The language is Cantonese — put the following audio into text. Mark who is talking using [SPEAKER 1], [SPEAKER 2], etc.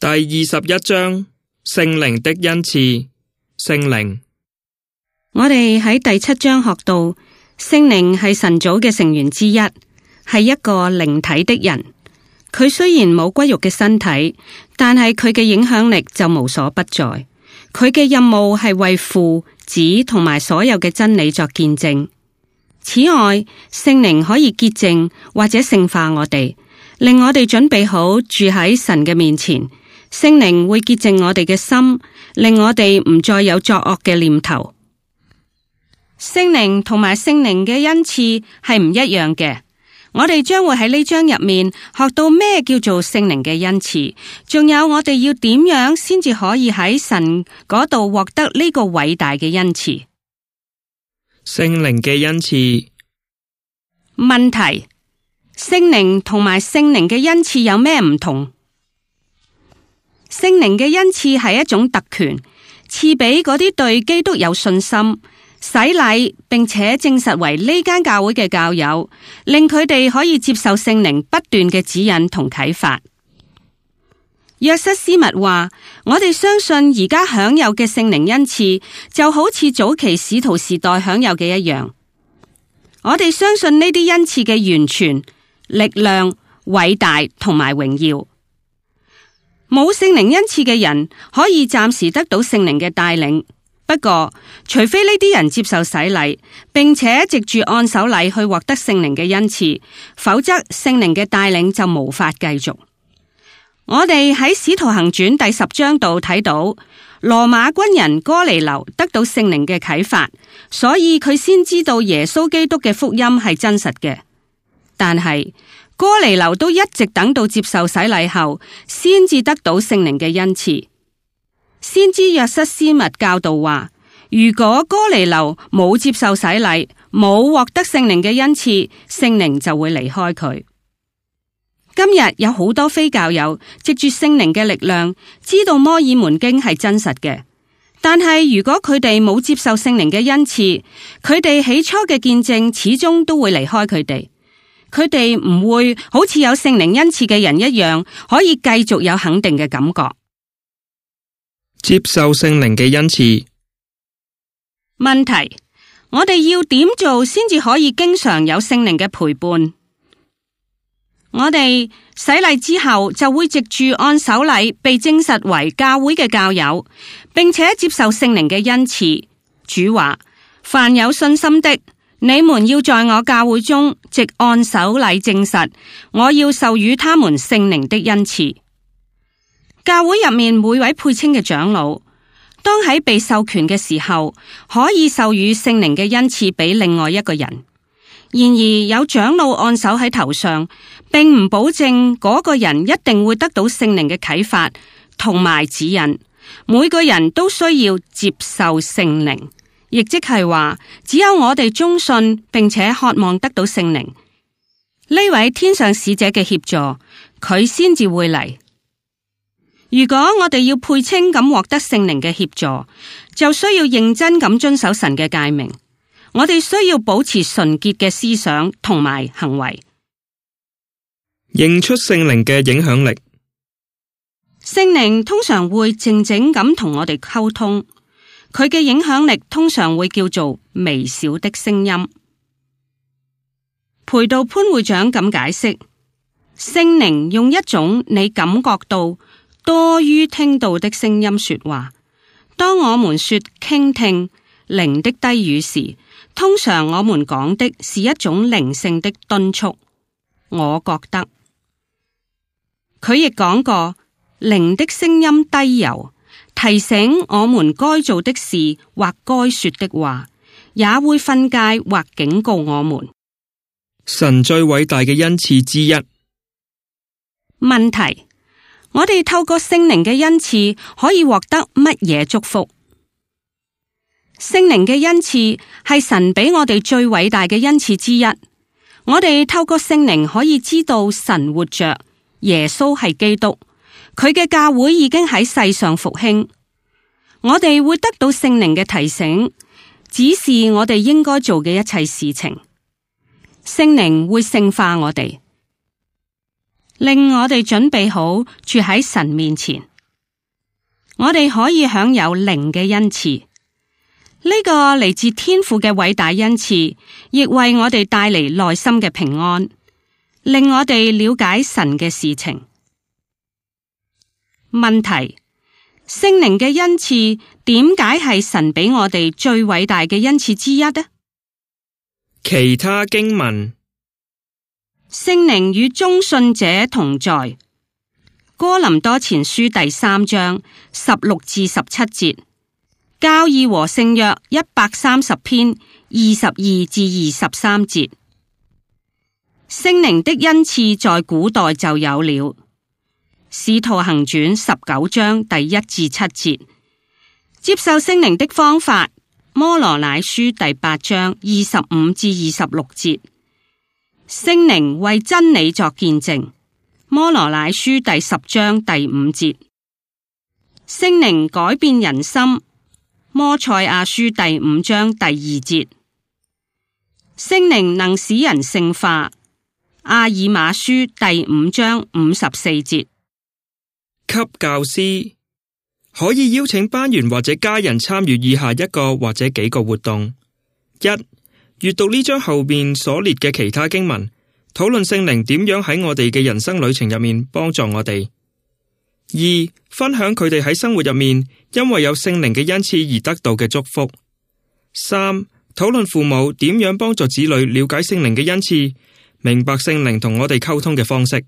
[SPEAKER 1] 第21章，聖靈的恩賜。聖靈。
[SPEAKER 2] 我哋喺第7章學到，聖靈係神組嘅成員之一，係一個靈體的人。佢雖然冇骨肉嘅身體，但係佢嘅影響力就無所不在。佢嘅任務係為父、子同埋所有嘅真理作見證。此外，聖靈可以潔淨或者聖化我哋，令我哋準備好住喺神嘅面前。聖靈會潔淨我哋嘅心，令我哋唔再有作惡嘅念頭。聖靈同埋聖靈嘅恩賜係唔一樣嘅。我哋將會喺呢章入面學到咩叫做聖靈嘅恩賜，仲有我哋要點樣先至可以喺神嗰度獲得呢個偉大嘅恩賜。
[SPEAKER 1] 聖靈嘅恩賜。
[SPEAKER 2] 問題：聖靈同埋聖靈嘅恩賜有咩唔同？聖靈嘅恩賜係一種特權，賜俾嗰啲對基督有信心、洗禮並且證實為呢間教會嘅教友，令佢哋可以接受聖靈不斷嘅指引同啟發。約瑟斯密話：我哋相信而家享有嘅聖靈恩賜，就好似早期使徒時代享有嘅一樣。我哋相信呢啲恩賜嘅完全、力量、偉大同埋榮耀。冇聖靈恩賜嘅人可以暫時得到聖靈嘅帶領，不過除非呢啲人接受洗禮，並且藉住按手禮去獲得聖靈嘅恩賜，否則聖靈嘅帶領就無法繼續。我哋喺使徒行傳第10章度睇到，羅馬軍人哥尼流得到聖靈嘅啟發，所以佢先知道耶穌基督嘅福音係真實嘅。但係哥尼流都一直等到接受洗禮後，先至得到聖靈嘅恩賜。先知約瑟斯密教導話，如果哥尼流冇接受洗禮，冇獲得聖靈嘅恩賜，聖靈就會離開佢。今日有好多非教友藉住聖靈嘅力量，知道摩爾門經係真實嘅，但係如果佢哋冇接受聖靈嘅恩賜，佢哋起初嘅見證始終都會離開佢哋。佢哋唔會好似有聖靈恩賜嘅人一樣，可以繼續有肯定嘅感覺。
[SPEAKER 1] 接受聖靈嘅恩賜。
[SPEAKER 2] 問題：我哋要點做先至可以經常有聖靈嘅陪伴？我哋洗禮之後就會藉住按手禮被證實為教會嘅教友，並且接受聖靈嘅恩賜。主話：凡有信心的，你們要在我教會中藉按手禮證實，我要授予他們聖靈的恩賜。教會入面每位配稱嘅長老，當喺被授權嘅時候，可以授予聖靈嘅恩賜俾另外一個人。然而有長老按手喺頭上，並唔保證嗰個人一定會得到聖靈嘅啟發同埋指引。每個人都需要接受聖靈。亦即係話，只有我哋忠信並且渴望得到聖靈，呢位天上使者嘅協助，佢先至會嚟。如果我哋要配稱咁獲得聖靈嘅協助，就需要認真咁遵守神嘅誡命。我哋需要保持純潔嘅思想同埋行為。
[SPEAKER 1] 認出聖靈嘅影響力。
[SPEAKER 2] 聖靈通常會靜靜咁同我哋溝通。佢嘅影響力通常會叫做微小的聲音。培道潘會長咁解釋，聖靈用一種你感覺到多於聽到的聲音說話。當我們說傾聽靈的低語時，通常我們講的是一種靈性的敦促。我覺得佢亦講過靈的聲音低柔，提醒我們該做的事或該說的話，也會訓誡或警告我們。
[SPEAKER 1] 神最偉大嘅恩賜之一。
[SPEAKER 2] 問題：我哋透過聖靈嘅恩賜可以獲得乜嘢祝福？聖靈嘅恩賜係神俾我哋最偉大嘅恩賜之一。我哋透過聖靈可以知道神活着，耶穌係基督。佢嘅教會已經喺世上復興，我哋會得到聖靈嘅提醒，指示我哋應該做嘅一切事情。聖靈會聖化我哋，令我哋準備好住喺神面前。我哋可以享有靈嘅恩賜。呢個嚟自天父嘅偉大恩賜，亦為我哋帶嚟內心嘅平安，令我哋了解神嘅事情。問題：聖靈嘅恩賜點解係神俾我哋最偉大嘅恩賜之一呢？
[SPEAKER 1] 其他經文：
[SPEAKER 2] 聖靈與忠信者同在。哥林多前書第3章16至17節。教義和聖約130篇22至23節。聖靈的恩賜在古代就有了。使徒行傳19章第1至7節。接受聖靈的方法，摩羅乃書第8章25至26節。聖靈為真理作見證，摩羅乃書第10章第5節。聖靈改變人心，摩賽亞書第5章第2節。聖靈能使人聖化，阿爾瑪書第5章54節。
[SPEAKER 1] 給教師可以邀請班員或者家人參與以下一個或者幾個活動：一、閱讀呢章後面所列嘅其他經文，討論聖靈點樣喺我哋嘅人生旅程入面幫助我哋；二、分享佢哋喺生活入面因為有聖靈嘅恩賜而得到嘅祝福；三、討論父母點樣幫助子女了解聖靈嘅恩賜，明白聖靈同我哋溝通嘅方式。